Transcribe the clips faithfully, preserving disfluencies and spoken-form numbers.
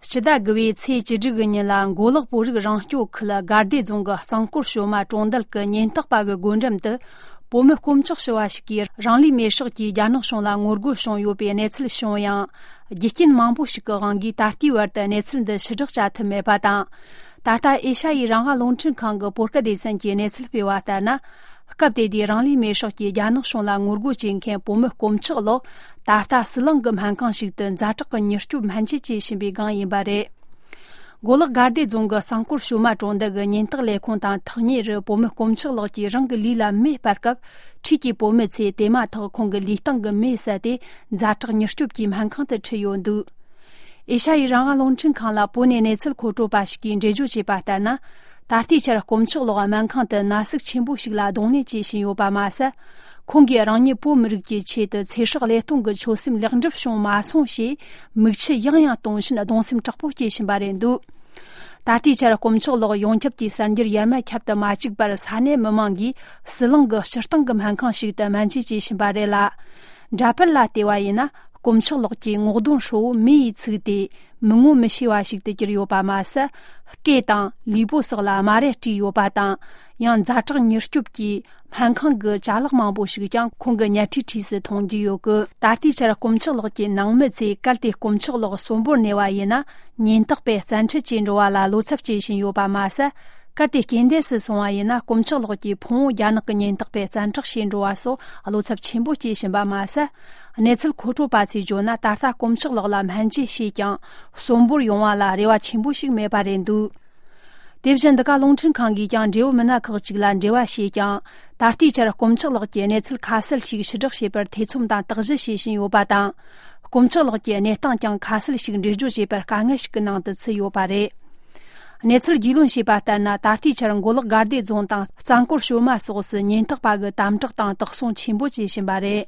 སྤྱི་ཟླ་དགུ་པའི་ཚེས་བཅུ་དྲུག་གི་ཉིན་ལ། མགོ་ལོག་བོད་རིགས་རང་སྐྱོང་ཁུལ་དགའ་བདེ་རྫོང་གི་གཙང་སྐོར་ཞོལ་མ་གྲོང་རྡལ་གྱི་ཉེན་རྟོག་པ་གི་སྒོ་འགྲམ་དུ། བོད་མི་དཀོན་མཆོག་ཞུ་བ་ཞིག་གིས་རང་ལུས་མེར་སྲེག་གིས་རྒྱ་ནག་གཞུང་ལ་ངོ་རྒོལ་བྱུང་ཡོད་པའི་གནས་ཚུལ་བྱུང་ཡང་། རྒྱུ་རྐྱེན་མང་པོ་ཞིག་གི་དབང་གིས་ད་ལྟའི་བར་དུ་གནས་ཚུལ་འདི་ཕྱིར་བསྒྲགས་བྱ་ཐུབ་མེད་པ་དང་། ད་ལྟ་ཨེ་ཤ་ཡའི་རང་དབང་རླུང་འཕྲིན་ཁང་གི་བོད་སྐད་སྡེ་ཚན་གྱིས་གནས་ཚུལ་སྤེལ་བ་ལྟར་ན། སྐབས་དེ་དུས་རང་ལུས་མེར་སྲེག་གིས་རྒྱ་ནག་གཞུང་ལ་ངོ་རྒོལ་བྱེད་མཁན་བོད་མི་དཀོན་མཆོག་ལགས། ད་ལྟ་ཟི་ལིང་གི་སྨན་ཁང་ཞིག་ཏུ་ཛ་དྲག་གི་མྱུར་སྐྱོབ་སྨན་བཅོས་བྱེད་བཞིན་པའི་སྒང་ཡིན་པ་རེད། མགོ་ལོག་དགའ་བདེ་རྫོང་གི་གཙང་སྐོར་ཞོལ་མ་གྲོང་རྡལ་གྱི་ཉེན་རྟོག་ལས་ཁུངས་དང་ཐག་ཉེ་རུ། བོད་མི་དཀོན་མཆོག་ལགས་ཀྱིས་རང་གི་ལུས་ལ་མེ་སྤར་སྐབས། འཁྲིས་ཀྱི་བོད་མི་ཚོས་དེ་མ་ཐག་ཁོང་གི་ལུས་སྟེང་གི་མེ་བསད་དེ། ཛ་དྲག་མྱུར་སྐྱོབ་ཀྱི་སྨན་ཁང་དུ་ཁྲིད་ཡོད་འདུག་ཨེ་ཤ་ཡའི་རང་དབང་རླུང་འཕྲིན་ཁང་ལ་བོད་ནས་གནས་ཚུལ་མཁོ་སྤྲོད་པ་ཞིག་གིས་འགྲེལ་བརྗོད་བྱས་པ་ལྟར་ན། ད་ལྟའི་ཆར་དཀོན་མཆོག་ལགས་སྨན་ཁང་དུ་ན་ཟུག་ཆེན་པོ་ཞིག་ལ་གདོང་ལེན་བྱེད་བཞིན་ཡོད་པ་མ་ཟད། ཁོང་གིས་རང་ཉིད་བོད་མི་རིགས་ཀྱི་ཆེད་དུ་ཚེ་སྲོག་བློས་གཏོང་གི་ཆོད་སེམས་ལེགས་འགྲུབ་བྱུང་མ་སོང་ཞེས། མིག་ཆུ་ཡང་ཡང་གཏོང་བཞིན་གདུང་སེམས་དྲག་པོ་སྐྱེ་བཞིན་པ་རེད་འདུག་ད་ལྟའི་ཆར་དཀོན་མཆོག་ལགས་ཡོངས་ཁྱབ་ཀྱི་གསར་འགྱུར་ཡར་མར་ཁྱབ་ཏུ་མ་བཅུག་པར། ས་གནས་མི་མང་གིས་ཟི་ལིང་གི་སྤྱིར་བཏང་གི་སྨན་ཁང་ཞིག་ཏུ་སྨན་བཅོས་བྱེད་བཞིན་པ་རེད་ལ། འདྲ་པར་ལ་བལྟས་པ་ཡིན་ན། དཀོན་མཆོག་ལགས་ཀྱི་ངོ་གདོང་ཧྲིལ་བོ་མེ་ཡིས་ཚིག་སྟེ། མི་ངོ་མི་ཤེས་པ་ཞིག་ཏུ་གྱུར་ཡོད་པ་མ་ཟད། སྐེ་དང་ལུས་པོ་སོགས་ལ་རྨ་རས་དཀྲིས་ཡོད་པ་དང་། ཡང་ཛ་དྲག་མྱུར་སྐྱོབ་ཀྱི་སྨན་ཁང་གི་ཅ་ལག་མང་པོ་ཞིག་ཀྱང་ཁོང་གི་ཉལ་ཁྲིའི་འཁྲིས་སུ་མཐོང་རྒྱུ་ཡོད་གི། ད་ལྟའི་ཆར་དཀོན་མཆོག་ལགས་ཀྱི་ནང་མི་ཚོས་གལ་ཏེ་དཀོན་མཆོག་ལགས་གསོན་པོར་གནས་པ་ཡིན་ན། ཉེན་རྟོག་པས་བཙན་ཁྲིད་བྱས་འགྲོ་བ་ལ་བློ་འཚབ་བྱེད་བཞིན་ཡོད་པ་མ་ཟད། གལ་ཏེ་རྐྱེན་འདས་སུ་སོང་བ་ཡིན་ན། དཀོན་མཆོག་ལགས་ཀྱི་ཕུང་བོ་རྒྱ་ནག་གི་ཉེན་རྟོག་པས་བཙན་འཕྲོག་བྱས་འགྲོ་བ་སོགས་བློ་འཚབ་ཆེན་པོ་སྐྱེ་བཞིན་པ་མ་ཟད། གནས་ཚུལ་མཁོ་སྤྲོད་པ་ཚོས་བརྗོད་ན། ད་ལྟ་དཀོན་མཆོག་ལགས་ལ་སྨན་བཅོས་བྱས་ཀྱང་། གསོན་པོར་ཡོང་བ་ལ་རེ་བ་ཆེན་པོ་ཞིག་མེད་པ་རེད་འདུག་དེ་བཞིན་འདི་ག་རླུང་འཕྲིན་ཁང་གིས་ཀྱང་། འབྲེལ་ཡོད་མི་སྣ་ཁག་ཅིག་ལ་འབྲེལ་བ་བྱས་ཀྱང་། ད་ལྟའི་ཆར་དཀོན་མཆོག་ལགས་ཀྱི་གནས་ཚུལ་ཁ་གསལ་ཞིག་ཕྱིར་བསྒྲགས་བྱེད་པར་ཐེ་ཚོམ་དང་དག་གཞི་བྱེད་བཞིན་ཡོད་པ་དང་། དཀོན་མཆོག་ལགས་ཀྱི་གནས་སྟངས་ཀྱང་ཁ་གསལ་ཞིག་འགྲེལ་བརྗོད་བྱེད་པར་དཀའ་ངལ་ཞིག་གི་ནང་དུ་ཚུད་ཡོད་པ་རེད། གནས་ཚུལ་རྒྱུས་ལོན་བྱས་པ་ལྟར་ན། ད་ལྟའི་ཆར་མགོ་ལོག་དགའ་བདེ་རྫོང་དང་གཙང་སྐོར་ཞོལ་མ་སོགས་སུ་ཉེན་རྟོག་པ་གིས་དམ་དྲག་དང་དོགས་ཟོན་ཆེན་པོ་བྱེད་བཞིན་པ་རེད།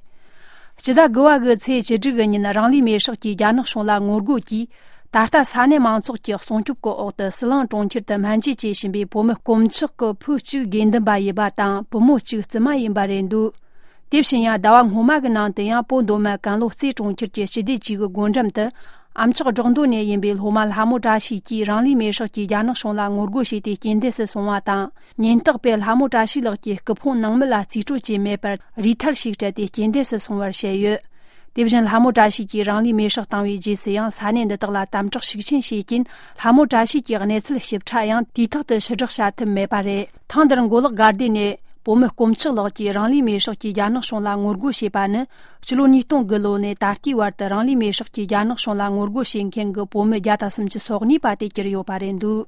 སྤྱི་ཟླ་དགུ་པ་གི་ཚེས་བཅུ་དྲུག་གི་ཉིན། རང་ལུས་མེར་སྲེག་གིས་རྒྱ་ནག་གཞུང་ལ་ངོ་རྒོལ་གྱིས། ད་ལྟ་ས་གནས་མང་ཚོགས་ཀྱི་སྲུང་སྐྱོབ་ཀྱི་འོག་ཏུ་ཟི་ལིང་གྲོང་ཁྱེར་དུ་སྨན་བཅོས་བྱེད་བཞིན་པའི་བོད་མི་དཀོན་མཆོག་གི་བུ་གཅིག་དགེ་འདུན་པ་ཡིན་པ་དང་། བུ་མོ་གཅིག་བཙུན་མ་ཡིན་པ་རེད་འདུག་དེ་བཞིན་ཡང་། ཟླ་བ་སྔོན་མ་གི་ནང་དུ་ཡང་། བོད་མདོ་སྨད་ཀན་ལྷོ་རྩེ་གྲོང་ཁྱེར་གྱི་སྤྱི་བདེ་ཅུས་ཀྱི་སྒོ་འགྲམ་དུ། ཨ་མཆོག་བྲག་མདོ་ནས་ཡིན་པའི་སློབ་མ་ལྷ་མོ་བཀྲ་ཤིས་ཀྱིས་རང་ལུས་མེར་སྲེག་གིས་རྒྱ་ནག་གཞུང་ལ་ངོ་རྒོལ་བྱས་ཏེ་རྐྱེན་འདས་སུ་སོང་བ་དང་། ཉེན་རྟོག་པས་ལྷ་མོ་བཀྲ་ཤིས་ལགས་ཀྱི་སྐུ་ཕུང་ནང་མི་ལ་རྩིས་སྤྲོད་བྱས་མེད་པར། རུས་ཐལ་ཞིག་སྤྲད་དེ་རྐྱེན་འདས་སུ་སོང་བར་བཤད་ཡོད། དེ་བཞིན་ལྷ་མོ་བཀྲ་ཤིས་ཀྱིས་རང་ལུས་མེར་སྲེག་བཏང་བའི་རྗེས་སུ་ཡང་། ས་གནས་འདི་དག་ལ་དམ་དྲག་ཤུགས་ཆེན་བྱས་རྐྱེན། ལྷ་མོ་བཀྲ་ཤིས་ཀྱི་གནས་ཚུལ་ཞིབ་ཕྲ་ཡང་དུས་ཐོག་ཏུ་ཕྱིར་བསྒྲགས་བྱ་ཐུབ་མེད་པ་རེད། ཐེངས་འདིར་མགོ་ལོག་དགའ་བདེ་ནས་བོད་མི་དཀོན་མཆོག་ལགས་ཀྱིས་རང་ལུས་མེར་སྲེག་གིས་རྒྱ་ནག་གཞུང་ལ་ངོ་རྒོལ་བྱས་པ་ནི། སྤྱི་ལོ་ཉིས་སྟོང་དགུ་ལོ་ནས་ད་ལྟའི་བར་དུ་རང་ལུས་མེར་སྲེག་གིས་རྒྱ་ནག་གཞུང་ལ་ངོ་རྒོལ་བྱེད་མཁན་གྱི་བོད་མི་བརྒྱ་དང་སུམ་ཅུ་སོ་གཉིས་པ་དེ་གྱུར་ཡོད་པ་རེད་འདུག